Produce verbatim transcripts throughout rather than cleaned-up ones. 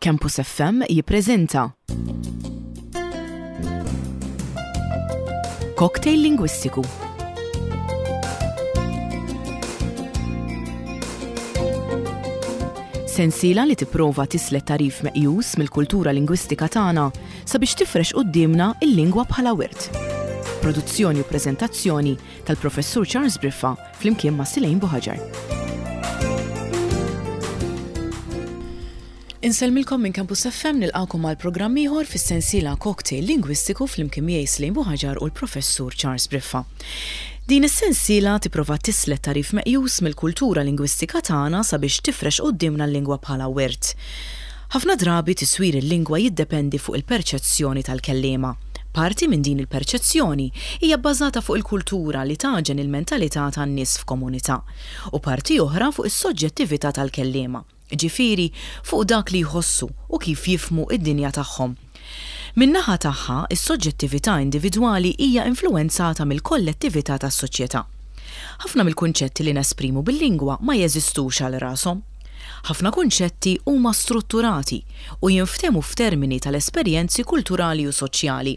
Campus F M jippreżenta Cocktail Lingwistiku. Sensiela li tipprova tislet tagħrif meqjus mill-kultura lingwistika tagħna sabiex tifrex quddiemna il-lingwa bħala wirt. Produzzjoni u preżentazzjoni tal-Professur Charles Briffa flimkien ma' Silejn Buħaġar. Insellmilkom minn Campus F M, nilqakom għal programm ieħor fis-sensiela Cocktail Lingwistiku flimkien miegħi Silejn Buħaġar u l-Professur Charles Briffa. Din is-sensiela tipprova tislet tagħrif meqjus mill-kultura lingwistika tagħna sabiex tifrex quddiemna l-lingwa bħala wirt. Ħafna drabi tiswir il-lingwa jiddependi fuq il-perċezzjoni tal-kelliema. Parti minn din il-perċezzjoni hija bbażata fuq il-kultura li taġen il-mentalità tan-nies f'komunità u parti oħra fuq is-soġġettività tal-kelliema, ġifieri fuq dak li jħossu u kif jifhmu id-dinja tagħhom. Min-naħa tagħha, is-soġġettività individwali hija influwenzata mill-kollettività tas-soċjetà. Ħafna mill-kunċetti li nesprimu bil-lingwa ma jeżistux għal rashom. Ħafna kunċetti huma strutturati u jinftehmu f'termini tal-esperjenzi kulturali u soċjali.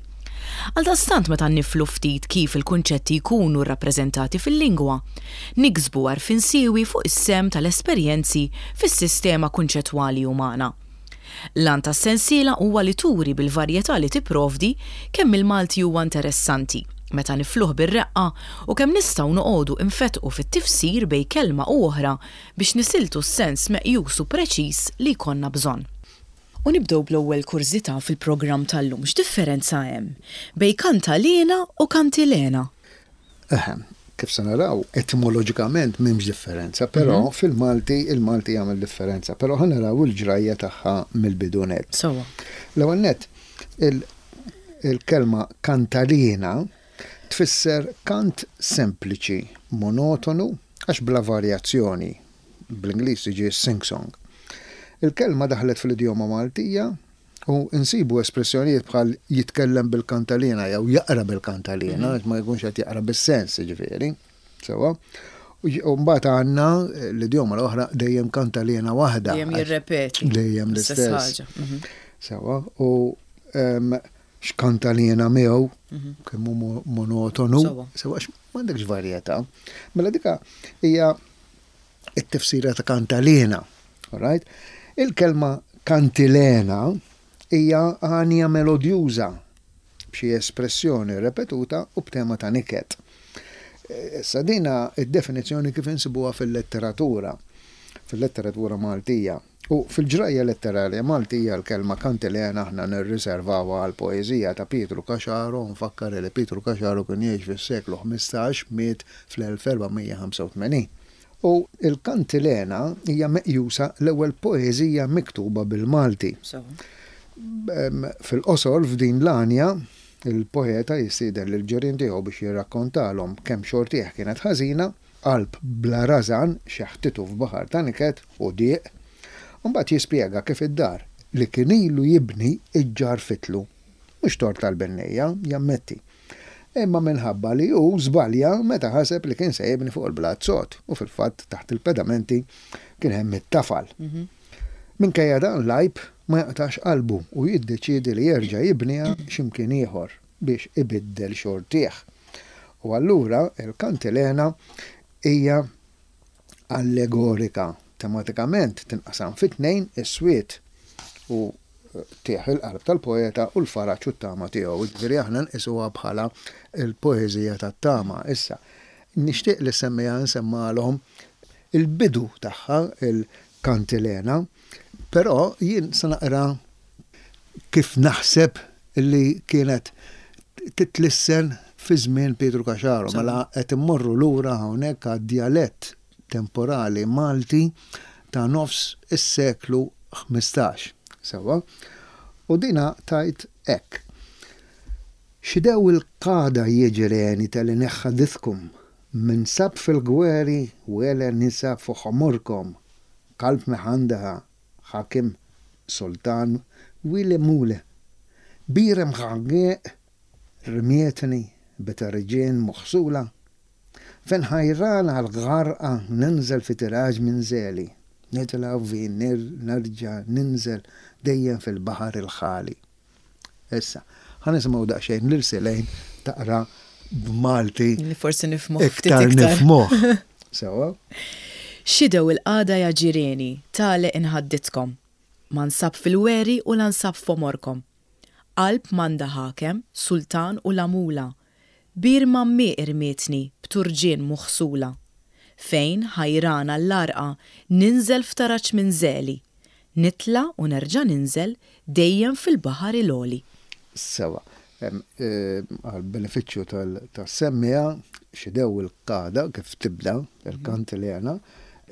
Għaldaqstant, meta niflu ftit kif il-kunċetti jkunu rrappreżentati fil-lingwa, niksbu għarfien siewi fuq is-sehem tal-esperjenzi fis-sistema kunċettwali umana. L-għan tas-sensiela huwa li turi bil-varjetà li tipprovdi kemm il-Malti huwa interessanti meta nifluh bir-reqqa u kemm nistgħu noqogħdu infetqu fit-tifsir bejn kelma u oħra biex nisiltu s-sens meqjus u preċiż li jkollna bżonn. U nibdew bl-ewwel kurżità fil-programm tal-lum. X'differenza hemm bejn kantalena u kantilena? Eħe, kif se naraw, etimoloġikament m'hemmx differenza, però mhm. fil-Malti il-Malti jagħmel differenza, però ħa naraw il-ġrajja tagħha mill-bidu nett. Sewwa. L-ewwel nett, il-kelma kantalena tfisser kant sempliċi, monotonu, għax bla varjazzjoni. Bl-Ingliż tiġi sing-song. Il-kelma daħlet fl-idjoma Maltija u nsibu espressjonijiet bħal jitkellem bil-kantalina jew jaqra bil-kantalina, mm -hmm. ma jkunx qed jaqra bis-sens, ġifieri. Sewwa. U mbagħad għandna l-idjoma l-oħra, dejjem kantalina waħda. Dejjem jirrepeti. Dejjem l-istess. Mhm. Sewwa. U x'kantalina miegħu, mhm. kemm hu monotonu, sewwa, m'għandekx varjetà. Mela dika hija it-tifsira ta' kantalina. Alright? Il-kelma kantilena hija għanja melodjuża b'xi espressjoni repetuta u b'tema ta' niket. Issa dina id-definizzjoni kif insibuha fil-letteratura, fil-letteratura Maltija. U fil-ġrajja letterarja Maltija l-kelma kantilena aħna nirriservawha għal poeżija ta' Pietru Caxaro. Nfakkar li Pietru Caxaro kien jgħix fis-seklu ħmistax, miet fl-elf erba' mija u ħamsa u tmenin. U il-kantilena hija meqjusa l-ewwel poeżija miktuba bil-Malti. Fil-qosor, f'din l-għanja, il-poeta jistieden lil ġirien tiegħu biex jirrakkontalhom kemm xortih kienet ħażina, qalb bla rażan xeħtitu f'baħar ta' niket u diq. Mbagħad jispjega kif id-dar li kien ilu jibni iġġarfitlu. Mhux tort tal-bennejja, jammetti, imma minħabba li hu żbalja meta ħaseb li kien se jibni fuq il-blat sod u fil-fatt taħt il-pedamenti kien hemm it-tafal. Mhm. Minkejja dan l-għajb, ma jaqtax qalbu u jiddeċiedi li jerġa' jibniha x'imkien ieħor biex ibiddel xortih. U allura il-kantilena hija allegorika. Tematikament tinqasam fit-tnejn: is-swied u qtigħ il-qalb tal-poeta u l-faraġ u t-tama tiegħu. Ġifieri aħna nqisuha bħala l-poeżija tat-tama. Issa, nixtieq li semmija nsemmalhom il-bidu tagħha, il-kantilena, però jien se naqra kif naħseb li kienet titlissen fi żmien Pietru Caxaro. Mela qed immorru lura hawnhekk għad-djalett temporali Malti ta' nofs is-seklu ħmistax. Sewwa. U dina tgħid hekk: Xidew il-qada jiġreni tal neħħadithkum minn sab fil-gweri wele nisa fuq ħomorkom kalb meħandaha ħakim sultan wile mule birem ħagġeq rmietni beterġien moħsula fen ħajran għal-għarqa ninżel fi tiraġ minn zeli. Nitla' u nerġa' ninżel dejjem fil-baħar il-ħali. Issa, ħa nisimgħu daqsxejn lil Selejn taqra b'Malti. Li forsi nifhmuh ftit iktar iktar. Nifhmuh. Sewa? Xidew il-qagħda ja ġireni, tale inħadditkom. Ma nsab fil-weri u la nsab f'għomorkom. Qalb m'għandha ħakem, sultan u la mula. Bir mammi irmietni, b'turġien muħsula. Fejn ħajrana l-arqa, ninżel f'taraċ minn zeli. Nitla u nerġa' ninżel dejjem fil-baħar il-għoli. Sewa. Għal benefiċċju tas-semmiegħa, xidew il-qagħda kif tibda il-kantilena,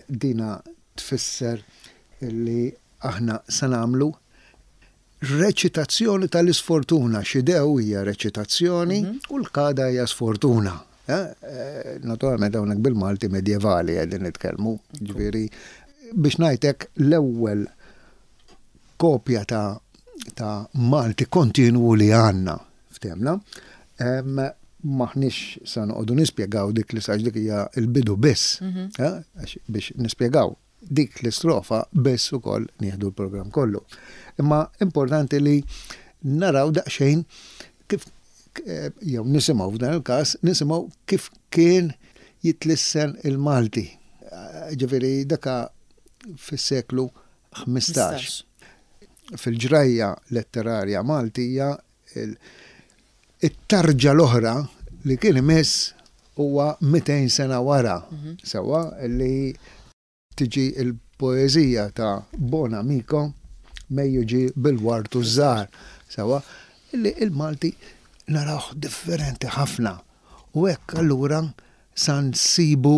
dina tfisser li aħna se nagħmlu reċitazzjoni tal-isfortuna. Xidew hija reċitazzjoni u l-qagħda hija sfortuna. Eh, Naturalment hawnhekk bil-Malti medjevali qegħdin nitkellmu, ġifieri biex ngħidlek l-ewwel kopja ta' ta' Malti kontinwu li għandna ftehmna. M'aħniex sa noqogħdu nispjegaw dik li sax dik hija l-bidu biss, eh, għax biex nispjegaw dik l-istrofa biss ukoll nieħdu l-programm kollu. Imma importanti li naraw daqsxejn kif eh, jew nisimgħu f'dan il-każ, nisimgħu kif kien jitlissen il-Malti. Eh, Ġifieri daka fis-seklu ħmistax. Fil-ġrajja letterarja Maltija il- it-tarġa l-oħra li kien imiss huwa mitejn sena wara, sewa li tiġi il-poeżija ta' Bonamico Mejju ġie bil-ward u ż-żahar, sewa li il-Malti narawh differenti ħafna. U hekk allura sa nsibu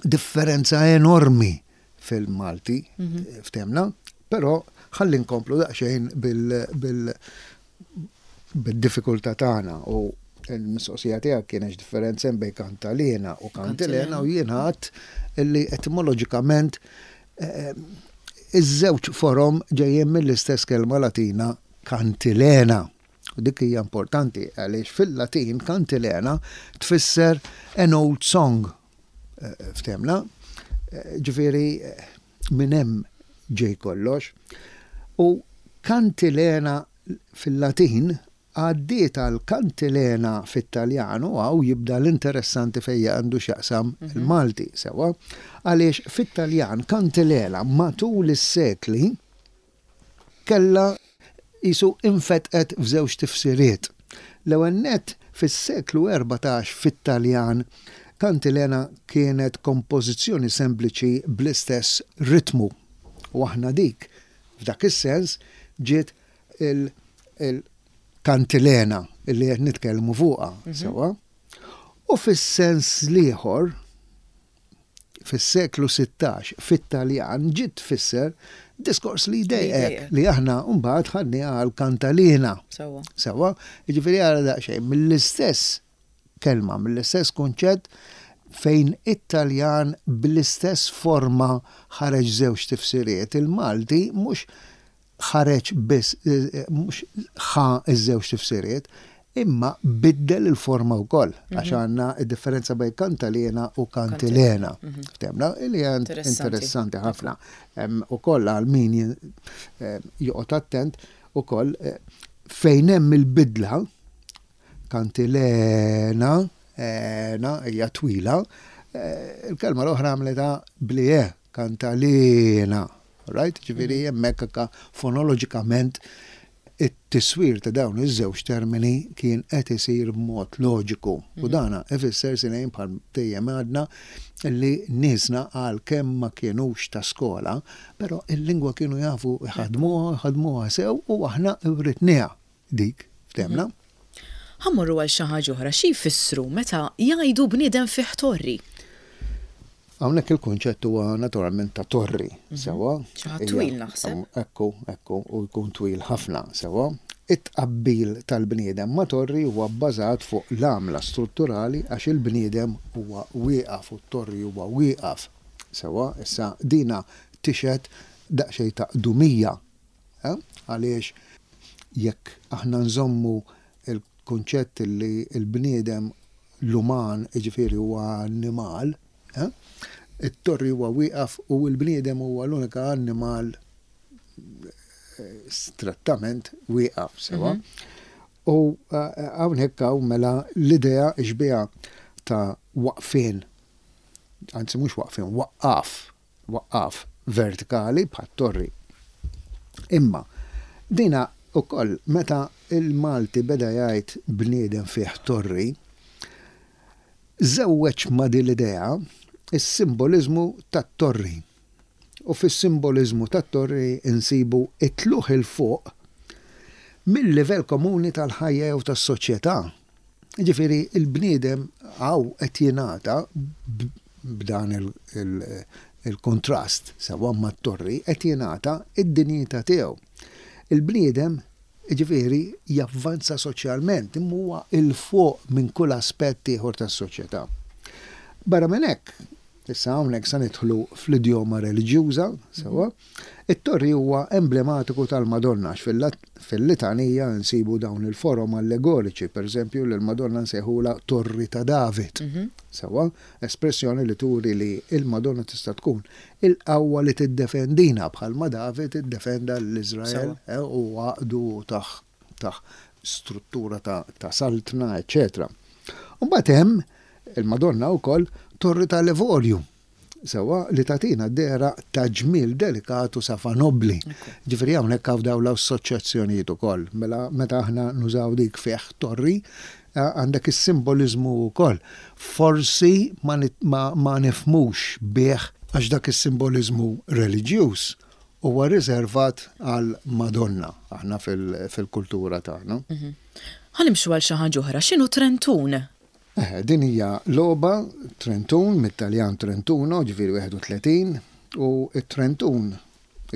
differenza enormi fil-Malti, ftehmna, però ħalli nkomplu daqsxejn bil- bil- bil-diffikultà tagħna u l-mistoqsija tiegħek kienet differenza bejn kantalena u kantilena u jiena għedt illi etimoloġikament eh, iż-żewġ forom ġejjin mill-istess kelma Latina kantilena. U dik hija importanti għaliex fil-Latin kantilena tfisser an old song. Eh, Ftehmna? Eh, Ġifieri eh, minn hemm ġej kollox. U kantilena fil-Latin għaddiet għal kantilena fit-Taljan u hawn jibda l-interessanti fejn għandu x'jaqsam il-Malti, sewa, għaliex fit-Taljan kantilena matul is-sekli kella jisu infetqet f'żewġ tifsiriet. L-ewwel nett fis-seklu erbatax fit-Taljan kantilena kienet kompożizzjoni sempliċi bl-istess ritmu. U aħna dik f'dak is-sens ġiet il-kantilena illi qed nitkellmu fuqha, sewa. U fis-sens l-ieħor fis-seklu sittax fit-Taljan ġiet tfisser diskors li jdejqek li aħna mbagħad ħadniha għal kantalina. Sewa. Sewa, jiġifieri għara daqsxejn mill-istess kelma, mill-istess kunċett fejn it-Taljan bl-istess forma ħareġ żewġ tifsiriet, il-Malti mhux ħareġ biss, eh, mhux ħa iż-żewġ tifsiriet, imma biddel il-forma wkoll, għax għandna id-differenza bejn kantalena u kantilena. Ftehmna, li hija Interessanti. interessanti ħafna. Em, Ukoll għal min eh, joqgħod attent ukoll eh, fejn hemm il-bidla kantilena, ena, hija twila, eh, il-kelma l-oħra għamleta bli e, kantalena. Right? Ġifieri hemmhekk anka fonoloġikament it-tiswir ta' dawn iż-żewġ termini kien qed isir b'mod loġiku. U dana ifisser sinejn bħal dejjem għadna li niesna għal kemm ma kienux ta' skola, però il-lingwa kienu jafu jħadmuha, jħadmuha sew u aħna writnieha dik, ftehmna? Ħa mmorru għal xi ħaġa oħra, xi jfissru meta jgħidu bniedem fih torri? Hawnhekk il-kunċett huwa naturalment ta' torri, sewa. Xi ħadd twil naħseb. Ekku, ekku, u jkun twil ħafna, sewa. It-tqabbil tal-bniedem ma' torri huwa bbażat fuq l-għamla strutturali għax il-bniedem huwa wieqaf u t-torri huwa wieqaf. Sewa, issa dina tixhed daqsxejn ta' qdumija. Eh? Għaliex jekk aħna nżommu il-kunċett li l-bniedem l-uman, jiġifieri huwa annimal, eh? It-torri huwa wieqaf u l-bniedem huwa l-unika annimal eh, strettament wieqaf, sewa. U eh, hawnhekk hawn mela l-idea xbieha ta' waqfien, anzi mhux waqfien, waqqaf, waqqaf vertikali bħat-torri. Imma dina ukoll meta il-Malti beda jgħid bniedem fih torri, żewweġ ma' din l-idea is-simboliżmu tat-torri. U fis-simboliżmu tat-torri insibu it-tlugħ 'il fuq mill-livell komuni tal-ħajja jew tas-soċjetà. Ġifieri il-bniedem hawn qed jingħata b'dan il-kontrast sewwa mat-torri qed jingħata id-dinjità tiegħu. Il-bniedem ġifieri javvanza soċjalment, imma huwa 'il fuq minn kull aspett ieħor tas-soċjetà. Barra minn hekk, issa hawnhekk sa nidħlu fl-idjoma reliġjuża, sewwa, it-torri huwa emblematiku tal-Madonna għax fil-litanija nsibu dawn il-forom allegoriċi, pereżempju l-Madonna nsejħula Torri ta' David. Sewwa, espressjoni li turi li il-Madonna tista' tkun il-qawwa li tiddefendina bħalma David iddefenda l-Iżrael eh, u għaqdu taħ taħ struttura ta', ta saltna, eċċetera. Mbagħad hemm il-Madonna wkoll Torri tal-Evorju, sewwa li tagħtina dehra ta' ġmiel delikatu safa nobli. Ġifieri hawnhekk hawn dawn l-assoċjazzjonijiet ukoll. Mela meta aħna nużaw dik fih torri, għandek is-simboliżmu wkoll. Forsi ma, ma, ma nifhmux bih għax dak is-simboliżmu reliġjuż huwa riservat għal Madonna aħna fil-kultura tagħna. Ħa nimxu għal xi ħaġa oħra, x'inhu Trentun? Eh, din hija logħba Trentun, mit-Taljan Trentuno, ġifieri wieħed u tletin, u t-Trentun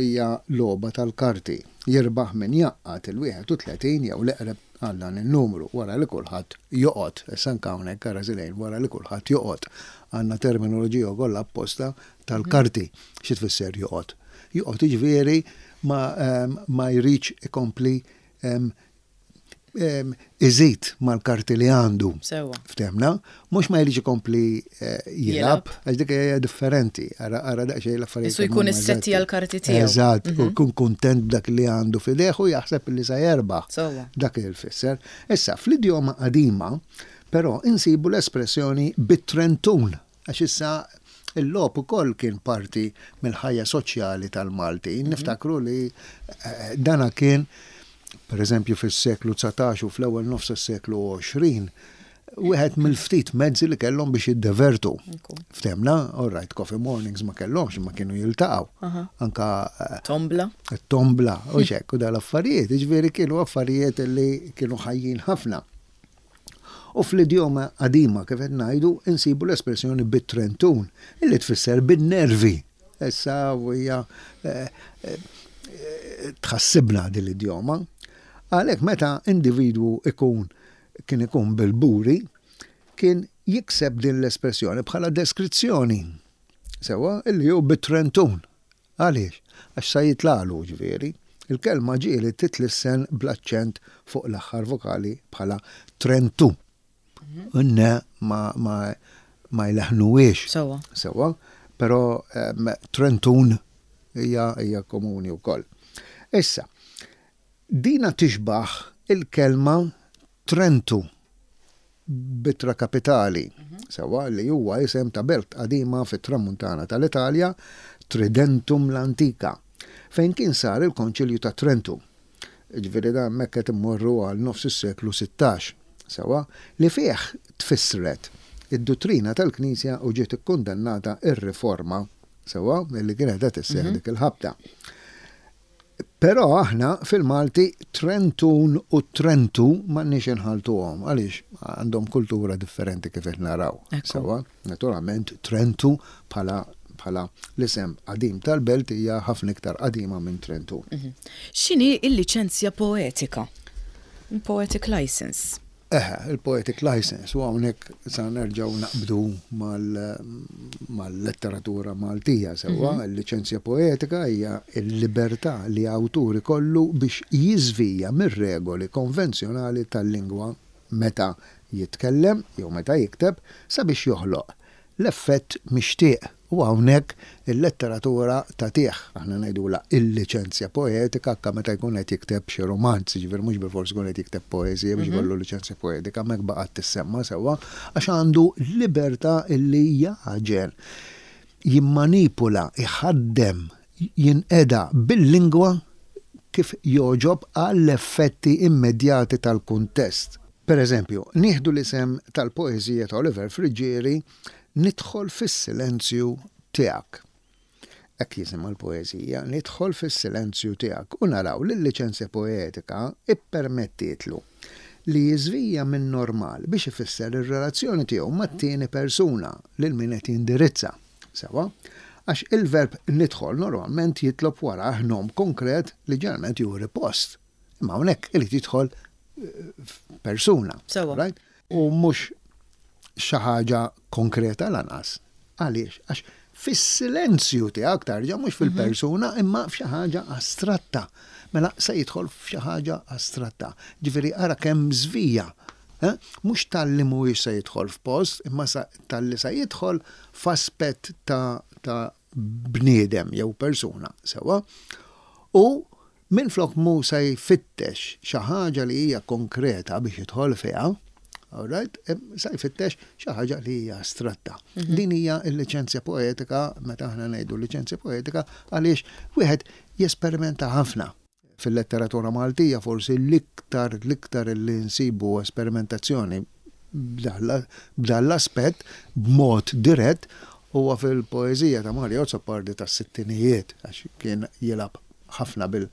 hija logħba tal-karti. Jirbaħ min jgħaqqad il-wieħed u tletin jew l-eqreb għal dan il-numru wara li kulħadd joqgħod. Issa anke hawnhekk ara żilejn wara li kulħadd joqgħod. Għandna terminoloġija wkoll apposta tal-karti. Xi tfisser joqgħod? Joqgħod jiġifieri ma, um, ma jridx ikompli um, um, iżid mal-karti li għandu. Sewwa. Ftehmna, mhux ma jridx ikompli eh, jilgħab, għax dik hija differenti. Ara ara daqsxejn l-affarijiet. Isu jkun issetti għal-karti tiegħu. Eżatt, u jkun kuntent b'dak li għandu f'idejh u jaħseb li sa jerbaħ. Sewwa. Dak il-fisser. Issa, fl-idjoma qadima, però insibu l-espressjoni bit-trentun, għax issa il-logħob ukoll kien parti mill-ħajja soċjali tal-Malti. Niftakru li eh, dana kien, per eżempju, fis-seklu dsatax u fl-ewwel nofs is-seklu għoxrin, wieħed mill-ftit mezzi li kellhom biex jiddevertu. Ftehmna, all right, coffee mornings ma kellhomx, ma kienu jiltaqgħu. Anka eh, Tombla. Tombla, u xek, u dal-affarijiet, ġifieri kienu affarijiet li kienu ħajjin ħafna. U fl-idjoma qadima, kif qed ngħidu, insibu l-espressjoni bit-trentun, illi tfisser bin-nervi. Issa hija eh, eh, tħassibna din l-idjoma. Għalhekk meta individwu ikun kien ikun bil-buri, kien jikseb din l-espressjoni bħala deskrizzjoni. Sewwa, illi hu bit-trentun. Għaliex? Għax sa jitlagħlu ġifieri. Il-kelma ġieli titlissen bl-aċċent fuq l-aħħar vokali bħala trentu. Unne ma, ma, ma jleħnuwiex. Sewwa. Sewwa, però um, trentun hija hija komuni wkoll. Issa, dina tixbaħ il-kelma Trentu b'ittra kapitali, sewwa, li huwa isem ta' belt qadima fit-tramuntana tal-Italja, Tridentum l-Antika, fejn kien sar il-Konċilju ta' Trentu. Ġifieri da hemmhekk qed immorru għal nofs is-seklu sittax, sewwa, li fih tfissret id-dottrina tal-Knisja u ġiet ikkundannata ir-riforma, sewwa, li kienet qed isseħħ dik il-ħabta. Però aħna fil-Malti Trentun u Trentu m'għandniex inħaltuhom għaliex għandhom kultura differenti kif qed naraw. Ekku. Sewwa, naturalment Trentu bħala bħala l-isem qadim tal-belt hija ħafna iktar qadima minn Trentu. X'inhi il-liċenzja poetika? Poetic license. Eħe, il-poetic license, u hawnhekk sa nerġgħu naqbdu mal-letteratura Maltija, sewwa, il-liċenzja poetika hija l-libertà li awtur ikollu biex jiżvija mir-regoli konvenzjonali tal-lingwa meta jitkellem jew meta jikteb sabiex joħloq l-effett mixtieq. U hawnhekk il-letteratura tagħtih, aħna ngħidula il-liċenzja poetika anke meta jkun qed jikteb xi romanz, jiġifieri mhux bilfors jkun qed jikteb poeżija biex ikollu liċenzja poetika, hemmhekk baqgħet tissemma sewwa għax għandu libertà illi jagħġel, jimmanipula, iħaddem, jinqeda bil-lingwa kif jogħġob għall-effetti immedjati tal-kuntest. Per eżempju, nieħdu l-isem tal-poeżija ta' Oliver Friggieri, "Nidħol fis-silenzju tiegħek". Hekk jisimha l-poeżija, "Nidħol fis-silenzju tiegħek", u naraw li l-liċenzja poetika ippermettietlu li jiżvija minn normal biex ifisser ir-relazzjoni tiegħu mat-tieni persuna, lil min qed jindirizza. Sewwa, għax il-verb "nidħol" normalment jitlob wara nom konkret li ġeneralment juri post. Imma hawnhekk irid jidħol persuna. Sewwa. Right? U mhux xi ħaġa konkreta lanqas. Għaliex? Għax fis-silenzju tiegħek tarġa', mhux fil-persuna, imma f'xi ħaġa astratta. Mela se jidħol f'xi ħaġa astratta. Ġifieri ara kemm żvija. Eh? Mhux talli mhuwiex se jidħol f'post, imma talli se jidħol f'aspett ta', ta bniedem jew persuna, sewwa. U minflok mu se jfittex xi ħaġa li hija konkreta biex jidħol fiha, all right, se jfittex xi ħaġa li hija astratta. Mhm. Din hija l-liċenzja poetika, meta aħna ngħidu liċenzja poetika, għaliex wieħed jesperimenta ħafna. Fil-letteratura Maltija forsi l-iktar l-iktar li nsibu esperimentazzjoni b'dan l-aspett b'mod dirett huwa fil-poeżija ta' Mario Azzopardi tas-sittinijiet, għax kien jilgħab ħafna bil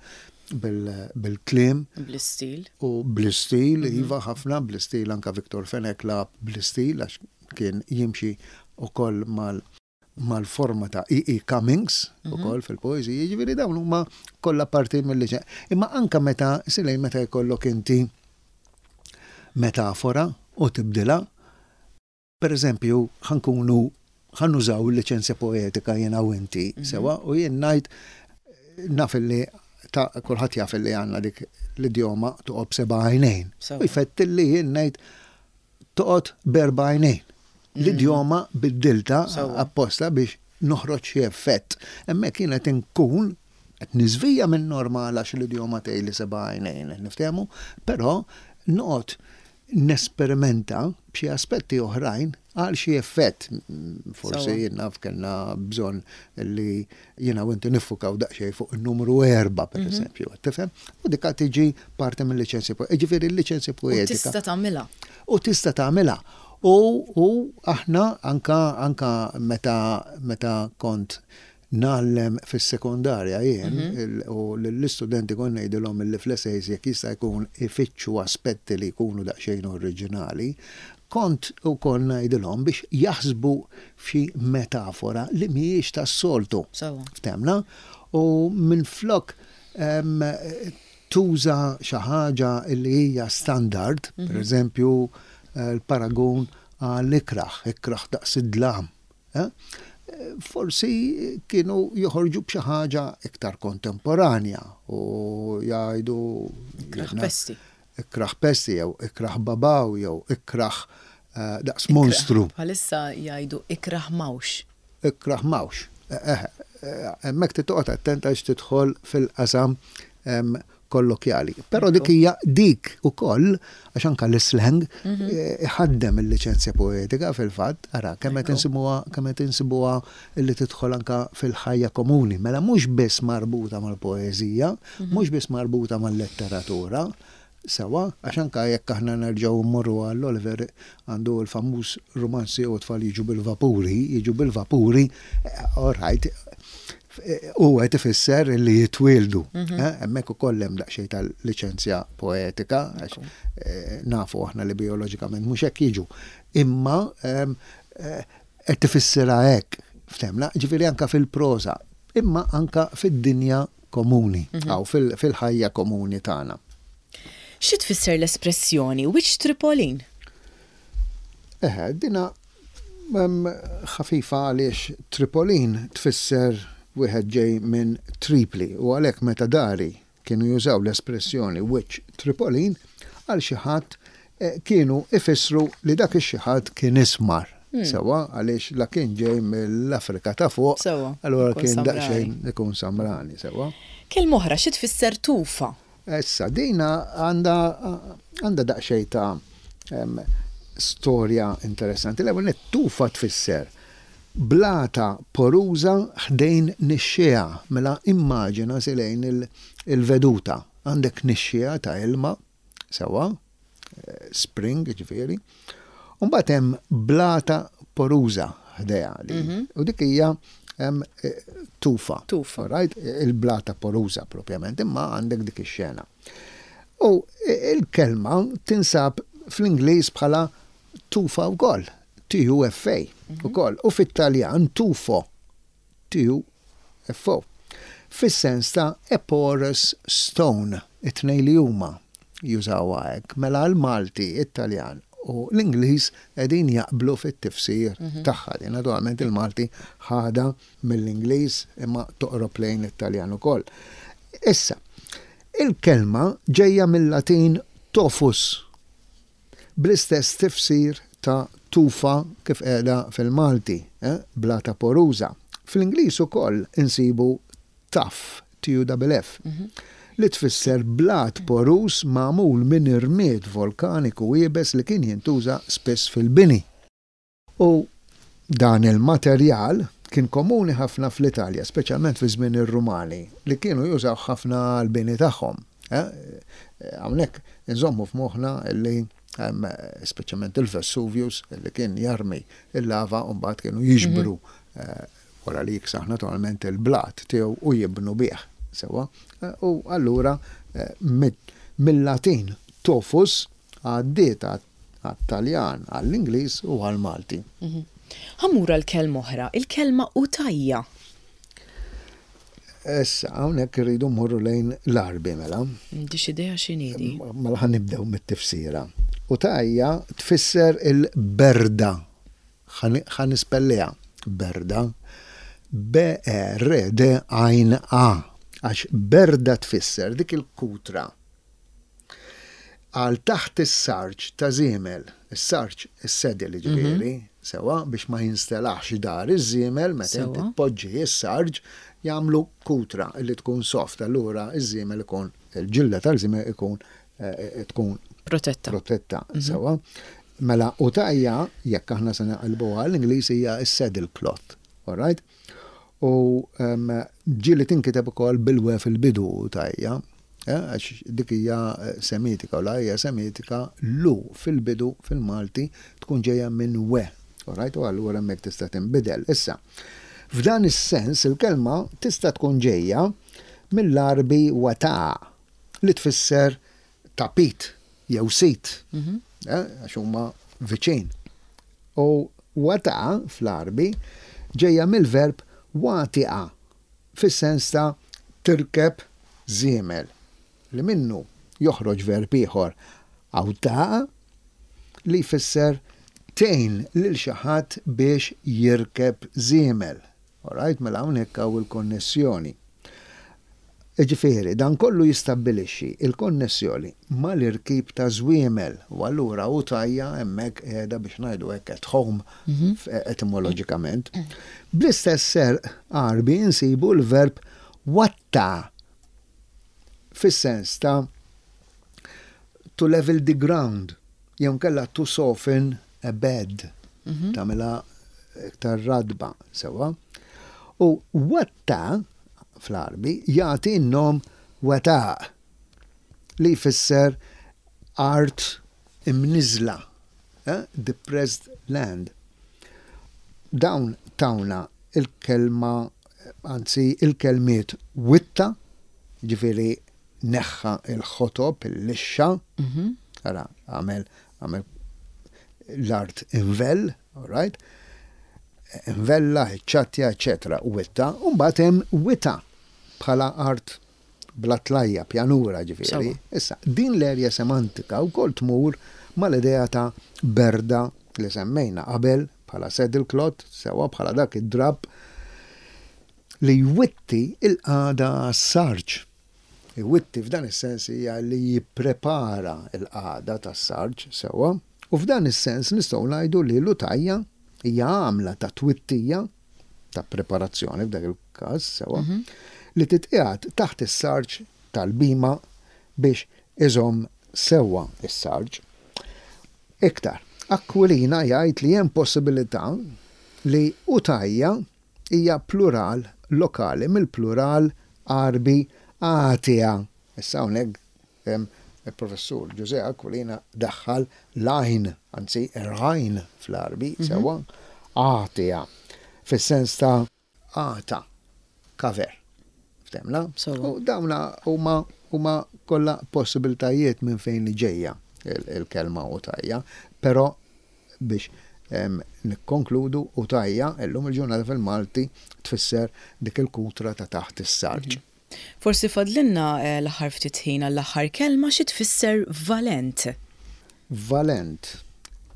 bil-kliem. Bl-istil. U bl-istil, iva, ħafna bl-istil, anka Victor Fenech lagħab bl-istil għax kien jimxi ukoll mal mal-forma ta' E. E. Cummings ukoll fil-poeżija, jiġifieri dawn huma kollha parti mill. Imma anka meta silej meta jkollok inti metafora u tibdilha, per eżempju, ħa nkunu ħa nużaw il-liċenzja poetika jiena u inti, sewwa, u jien ngħid, naf li ta' kulħadd jaf li għandna dik l-idjoma "toqgħod b'seba' għajnejn". U jfett li jien ngħid "toqgħod b'erba' għajnejn". L-idjoma biddilta apposta biex noħroġ xi effett. Hemmhekk jien qed inkun qed niżvija minn normal għax l-idjoma tgħid li seba' għajnejn, niftehmu, però noqgħod nesperimenta b'xi aspetti oħrajn għal xi effett. Forsi jien naf kellna bżonn li jiena u inti niffukaw daqsxejn fuq il-numru erba, per eżempju, tifhem? U dika tiġi parti mill-liċenzja poetika. Ġifieri l-liċenzja U poetika. tista' tagħmilha. U tista' tagħmilha. U, u aħna anka anka meta meta kont ngħallem fis-sekondarja jien il- u l-istudenti kont ngħidilhom li fl-essays jekk jista' jkun ifittxu aspetti li jkunu daqsxejn oriġinali, kont ukoll ngħidilhom biex jaħsbu f'xi metafora li mhijiex tas-soltu. Sewwa. Ftemna? U minflok em, tuża xi ħaġa li hija standard, per eżempju l-paragun għall-ikraħ, ikraħ daqs id-dlam. Eh? Forsi kienu joħorġu b'xi ħaġa iktar kontemporanja u jgħidu Ikraħ jiena- pesti. Ikraħ pesti jew ikraħ babaw jew ikraħ eh, daqs monstru. Bħalissa jgħidu "ikraħ mawx". Ikraħ mawx. Eh, eh, Hemmhekk titoqgħod attenta għax tidħol fil-qasam em, kollokjali. Però dik hija dik ukoll, għax anka l-slang eh, iħaddem il-liċenzja poetika fil-fatt, ara kemm qed insibuha kemm qed insibuha li tidħol anka fil-ħajja komuni. Mela mhux biss marbuta mal-poeżija, mhux biss marbuta mal-letteratura, sewwa, għax anka jekk aħna nerġgħu mmorru għall Oliver, għandu l-famuż romanzi u "Tfal jiġu bil-vapuri", "jiġu bil-vapuri", eh, all right, u qed ifisser li jitwieldu. eh, Hemmhekk ukoll hemm daqsxejn tal-liċenzja poetika, għax eh, nafu aħna li bioloġikament mhux hekk jiġu. Imma em, eh, qed tifissirha hekk, ftemna, ġifieri anka fil-proża, imma anka fid-dinja komuni, aw fil-ħajja komuni tagħna. Xi tfisser l-espressjoni "wiċċ Tripolin"? Eħe, dina em, ħafifa għaliex Tripolin tfisser wieħed ġej minn Tripli, u għalhekk meta dari kienu jużaw l-espressjoni "wiċċ Tripolin" għal xi ħadd, eh, kienu ifissru li dak ix-xi ħadd kien ismar. Sewwa, għaliex la kien ġej mill-Afrika ta' fuq, Sewwa, allura ikun kien samrani. Daqsxejn ikun samrani, sewwa. Kelma oħra, xi tfisser tufa? Issa, dina għandha għandha daqsxejn ta' em, storja interessanti. L-ewwel nett, tufa tfisser blata poruża ħdejn nixxiegħa, mela immaġina silejn il- il-veduta. Għandek nixxiegħa ta' ilma, sewwa, eh, spring ġifieri, u mbagħad hemm blata poruża ħdejha li. U dik hija hemm eh, tufa. Tufa. Right? Il-blata poruża propjament, imma għandek dik ix-xena. U il-kelma tinsab fl-Ingliż bħala tufa wkoll, T U F A ukoll, u fit-Taljan tufo, T U F O. Fis-sens ta' a porous stone, it-tnejn li huma jużawha hekk, mela l-Malti, it-Taljan u l-Ingliż qegħdin jaqblu fit-tifsir tagħha. Din naturalment il-Malti ħada mill-Ingliż, imma toqrob lejn it-Taljan ukoll. Issa, il-kelma ġejja mill-Latin tofus, bl-istess tifsir ta' tufa kif qiegħda fil-Malti, eh? Blata poruża. Fl-Ingliż ukoll insibu tuff, T U F F, li tfisser blat poruż magħmul minn irmied volkaniku iebes li kien jintuża spiss fil-bini. U dan il-materjal kien komuni ħafna fl-Italja, speċjalment fi żmien ir-Rumani, li kienu jużaw ħafna l-bini tagħhom. Eh? Hawnhekk inżommu f'moħħna li em, speċjalment il-Vesuvius li kien jarmi il-lava u mbagħad kienu jiġbru eh, wara li jiksaħ naturalment il-blat tiegħu u jibnu bih. Sewwa. Eh, U allura eh, mid- mill-Latin tofus għaddiet għat-Taljan, għall-Ingliż u għall-Malti. Ħa mmur l-kelma oħra, il-kelma utajja. Issa, hawnhekk irridu mmorru lejn l-Għarbi mela. M'għandix idea x'inhi di. Mela ħa nibdew mit-tifsira. Utajja tfisser il-berda. Ħa nispelliha. Berda. B E R D għajn A. Għax berda tfisser dik il-kutra għal taħt is-sarġ ta' żiemel, is-sarġ, is-saddle ġifieri, sewwa, biex ma jinstelaħx dar iż-żiemel meta inti Sewwa. tpoġġi is-sarġ, jagħmlu kutra li tkun soft, allura iż-żiemel ikun, il-ġilda tal-żiemel ikun eh, tkun Protetta. Protetta, sewwa. Mela utajja, jekk aħna se naqilbuha l-Ingliż, hija s-saddle cloth, all right? U um, ġieli tinkiteb ukoll bil-we fil-bidu utajja, eh, għax dik hija eh, semitika u la hija semitika lu fil-bidu fil-Malti tkun ġejja minn we, all right? U allura hemmhekk tista' tinbidel. Issa, f'dan is-sens il-kelma tista' tkun ġejja mill-Għarbi wata' li tfisser tapit jew sit, eh, għax huma viċin. U wata' fl-Għarbi ġejja mill-verb watiqa fis-sens ta' tirkeb żiemel, li minnu joħroġ verb ieħor awtaqa li jfisser tgħin lil xi ħadd biex jirkeb żiemel. Alright, mela hawnhekk hawn il-konnessjoni. Ġifieri, dan kollu jistabbilixxi il-konnessjoni mal-irkib ta' żwiemel u allura utajja hemmhekk qiegħda, biex ngħidu hekk, at home f- etimoloġikament. Bl-istess serq Għarbi insibu l-verb watta fis-sens ta' to level the ground jew kella to soften a bed, tagħmilha iktar radba, sewwa. U watta fl-Għarbi jagħti n-nom wataq li jfisser art imniżla, eh? Depressed land. Dawn tawna il-kelma, anzi il-kelmiet witta, ġifieri neħħa il-ħotob, il-lixxa, ara, għamel, għamel l-art invell, all right? Invella, ċattja, eccetera, witta, u mbagħad hemm wita bħala art bla tlajja, pjanura ġifieri. Sewwa. Issa, din l-erja semantika wkoll tmur mal-idea ta' berda li semmejna qabel bħala saddle cloth, sewwa, bħala dak id-drab li jwitti il-qagħda s-sarġ. Iwitti f'dan is-sens hija li jipprepara il-qagħda tas-sarġ, sewwa, u f'dan is-sens nistgħu ngħidu li l-utajja Hija għamla ta' twittija ta' preparazzjoni f'dak il-każ sewa mm -hmm. li titqiegħed taħt is-sarġ tal-bhima biex iżomm sewwa is-sarġ. Iktar, Aquilina jgħid li hemm possibilità li utajja hija plural lokali mill-plural Għarbi għatija. Issa hawnhekk il-professur Ġużè Aquilina daħħal l-għajn, anzi rajn fl-Għarbi, mhm. sewwa, għatija, fis-sens ta' għata, cover. Ftemna? U dawna huma huma kollha possibiltajiet minn fejn li ġejja il-kelma utajja, però biex nikkonkludu, utajja illum il-ġurnata fil-Malti tfisser dik il-kutra ta' taħt is-sarġ. Mhm. Forsi fadlinna eh, l-aħħar ftit ħin għall-aħħar kelma. Xi tfisser valent? Valent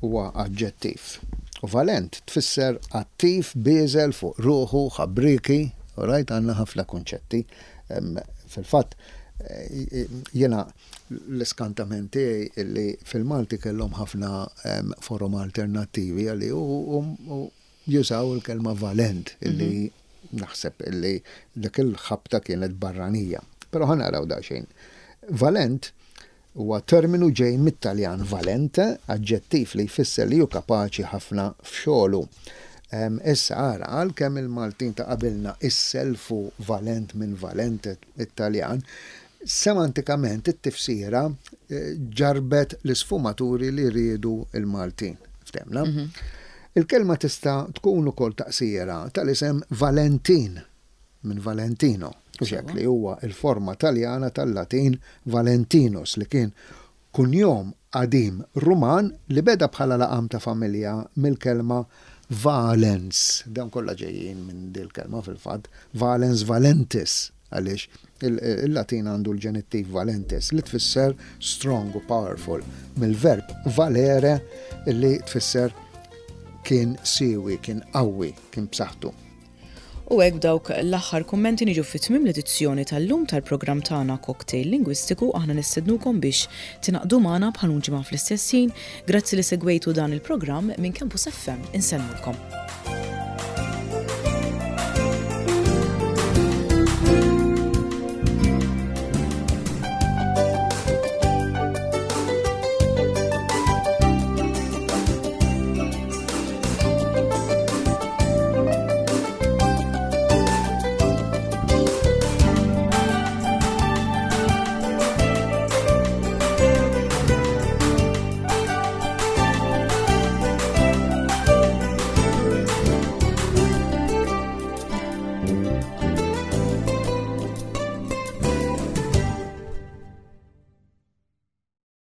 huwa aġġettiv. U valent tfisser attiv, bieżel fuq ruħu, ħabriki, rajt għandna ħafna kunċetti. Fil-fatt, eh, jiena l-iskantament tiegħi illi fil-Malti kellhom ħafna forom alternattivi għalli u jużaw il-kelma valent illi mhm. naħseb illi dik il-ħabta kienet barranija. Però ħa naraw daqsxejn. Valent huwa terminu ġej mit-Taljan valente, aġġettiv li jfisser li hu kapaċi ħafna f'xogħlu. Issa ara, għalkemm il-Maltin ta' qabilna isselfu valent minn valente Italjan, semantikament it-tifsira eh, ġarbet l-isfumaturi li riedu il-Maltin. Ftemna? Mhm. Il-kelma tista' tkun ukoll taqsira tal-isem Valentin minn Valentino, xek li huwa il-forma Taljana tal-Latin Valentinus, li kien kunjom qadim Ruman li beda bħala laqam ta' familja mill-kelma valens. Dawn kollha ġejjin minn dil-kelma fil-fatt, valens, valentis, għaliex il-Latin għandu l-ġenittiv valentis li tfisser strong u powerful, mill-verb valere li tfisser kien siewi, kien qawwi, kien b'saħħtu. U hekk b'dawk l-aħħar kummenti niġu fi tmiem l-edizzjoni tal-lum tal-programm tagħna Cocktail Lingwistiku. Aħna nistednukom biex tingħaqdu magħna bħal ġimgħa fl-istess ħin. Grazzi li segwejtu dan il-programm minn Campus F M. Insellmulkom.